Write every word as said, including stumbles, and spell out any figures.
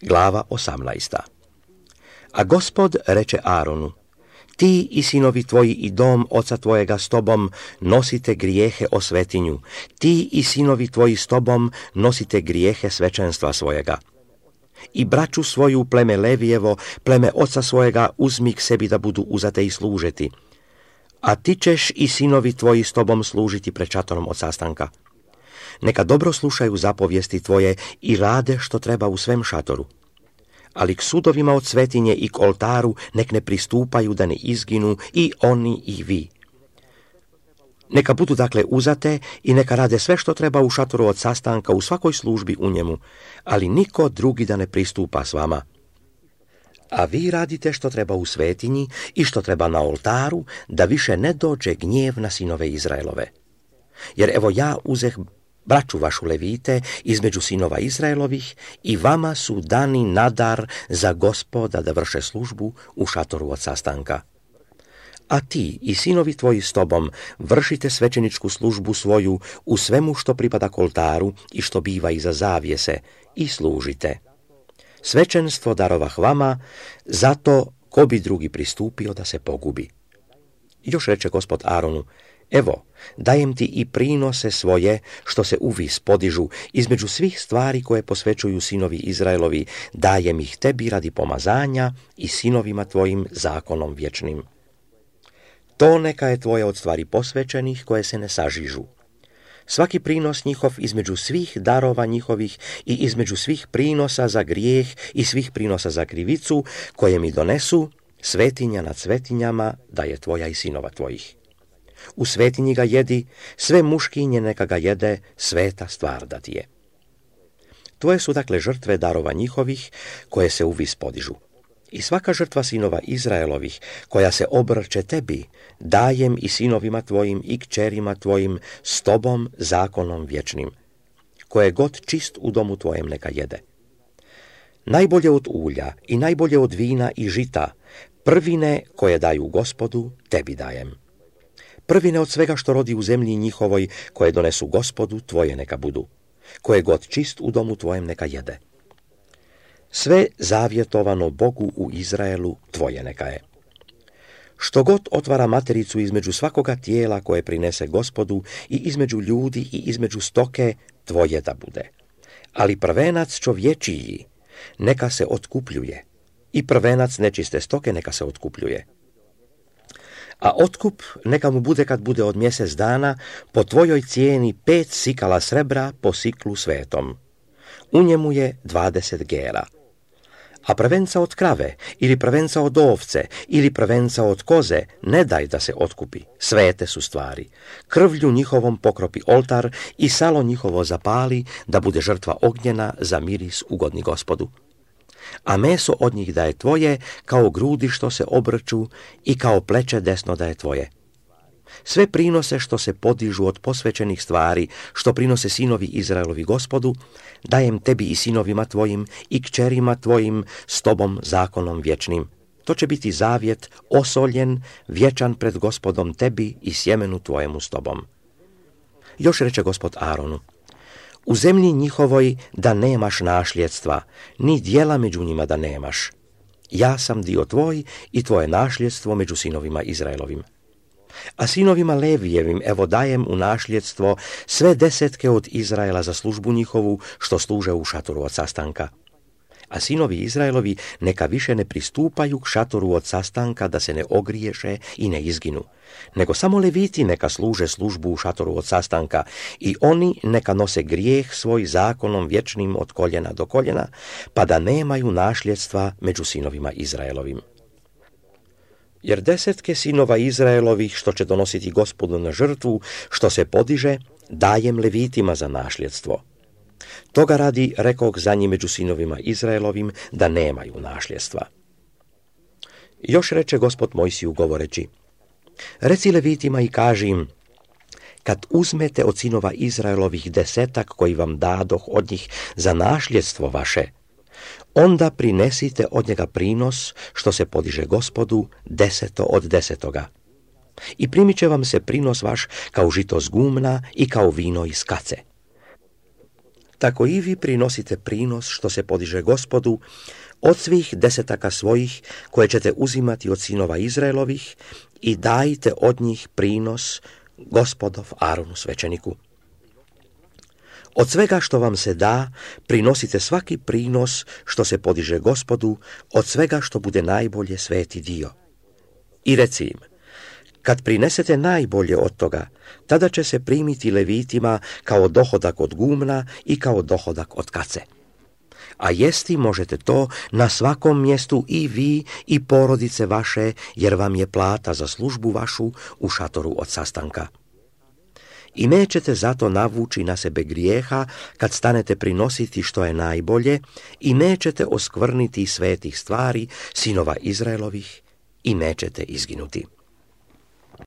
Glava osamnaesta. A Gospod reče Aronu: ti i sinovi tvoji i dom oca tvojega s tobom nosite grijehe o svetinju, ti i sinovi tvoji s tobom nosite grijehe svečanstva svojega. I braću svoju, pleme Levijevo, pleme oca svojega, uzmi k sebi da budu uzate i služeti. A ti ćeš i sinovi tvoji s tobom služiti pred šatorom od sastanka. Neka dobro slušaju zapovijesti tvoje i rade što treba u svem šatoru. Ali k sudovima od svetinje i k oltaru nek ne pristupaju da ne izginu i oni i vi. Neka budu dakle uzate i neka rade sve što treba u šatoru od sastanka u svakoj službi u njemu, ali niko drugi da ne pristupa s vama. A vi radite što treba u svetinji i što treba na oltaru, da više ne dođe gnjev na sinove Izraelove. Jer evo ja uzeh braću vašu Levite između sinova Izraelovih i vama su dani nadar za Gospoda da vrše službu u šatoru od sastanka. A ti i sinovi tvoji s tobom vršite svećeničku službu svoju u svemu što pripada k oltaru i što biva iza zavjese i služite. Svećenstvo darovah vama, zato ko bi drugi pristupio da se pogubi. Još reče Gospod Aronu: evo, dajem ti i prinose svoje što se uvis podižu između svih stvari koje posvećuju sinovi Izraelovi, dajem ih tebi radi pomazanja i sinovima tvojim zakonom vječnim. To neka je tvoje od stvari posvećenih koje se ne sažižu. Svaki prinos njihov između svih darova njihovih i između svih prinosa za grijeh i svih prinosa za krivicu koje mi donesu, svetinja nad svetinjama da je tvoja i sinova tvojih. U svetinji ga jedi, sve muškinje neka ga jede, sveta stvar da ti je. Tvoje su dakle žrtve darova njihovih koje se uvis podižu. I svaka žrtva sinova Izraelovih koja se obrće tebi, dajem i sinovima tvojim i kćerima tvojim s tobom zakonom vječnim. Koje god čist u domu tvojem neka jede. Najbolje od ulja i najbolje od vina i žita, prvine koje daju Gospodu, tebi dajem. Prvine od svega što rodi u zemlji njihovoj koje donesu Gospodu, tvoje neka budu. Koje god čist u domu tvojem neka jede. Sve zavjetovano Bogu u Izraelu tvoje neka je. Što god otvara matericu između svakoga tijela koje prinese Gospodu i između ljudi i između stoke, tvoje da bude. Ali prvenac čovječiji neka se otkupljuje i prvenac nečiste stoke neka se otkupljuje. A otkup neka mu bude kad bude od mjesec dana po tvojoj cijeni pet sikala srebra po siklu svetom. U njemu je dvadeset gera. A prvenca od krave, ili prvenca od ovce, ili prvenca od koze, ne daj da se otkupi, svete su stvari. Krvlju njihovom pokropi oltar i salo njihovo zapali, da bude žrtva ognjena za miris ugodni Gospodu. A meso od njih da je tvoje, kao grudi što se obrću i kao pleće desno da je tvoje. Sve prinose što se podižu od posvećenih stvari, što prinose sinovi Izraelovi Gospodu, dajem tebi i sinovima tvojim i kćerima tvojim s tobom zakonom vječnim. To će biti zavjet, osoljen, vječan pred Gospodom tebi i sjemenu tvojemu s tobom. Još reče Gospod Aronu: u zemlji njihovoj da nemaš našljedstva, ni dijela među njima da nemaš. Ja sam dio tvoj i tvoje našljedstvo među sinovima Izraelovim. A sinovima Levijevim evo dajem u našljedstvo sve desetke od Izraela za službu njihovu što služe u šatoru od sastanka. A sinovi Izraelovi neka više ne pristupaju k šatoru od sastanka da se ne ogriješe i ne izginu, nego samo Leviti neka služe službu u šatoru od sastanka i oni neka nose grijeh svoj zakonom vječnim od koljena do koljena, pa da nemaju našljedstva među sinovima Izraelovim. Jer desetke sinova Izraelovih što će donositi Gospodu na žrtvu, što se podiže, dajem Levitima za našljedstvo. Toga radi rekog za njih među sinovima Izraelovim da nemaju našljedstva. Još reče Gospod Mojsiju govoreći: reci Levitima i kaži im: kad uzmete od sinova Izraelovih desetak koji vam dadoh od njih za našljedstvo vaše, onda prinesite od njega prinos što se podiže Gospodu deseto od desetoga. I primit će vam se prinos vaš kao žito z gumna i kao vino iz kace. tako i vi prinosite prinos što se podiže Gospodu od svih desetaka svojih koje ćete uzimati od sinova Izraelovih i dajte od njih prinos Gospodov Aronu svećeniku. Od svega što vam se da, prinosite svaki prinos što se podiže Gospodu, od svega što bude najbolje sveti dio. I reci im, kad prinesete najbolje od toga, tada će se primiti levitima kao dohodak od gumna i kao dohodak od kace. A jesti možete to na svakom mjestu i vi i porodice vaše, jer vam je plata za službu vašu u šatoru od sastanka. I nećete zato navući na sebe grijeha kad stanete prinositi što je najbolje i nećete oskvrniti svetih stvari sinova Izraelovih i nećete izginuti.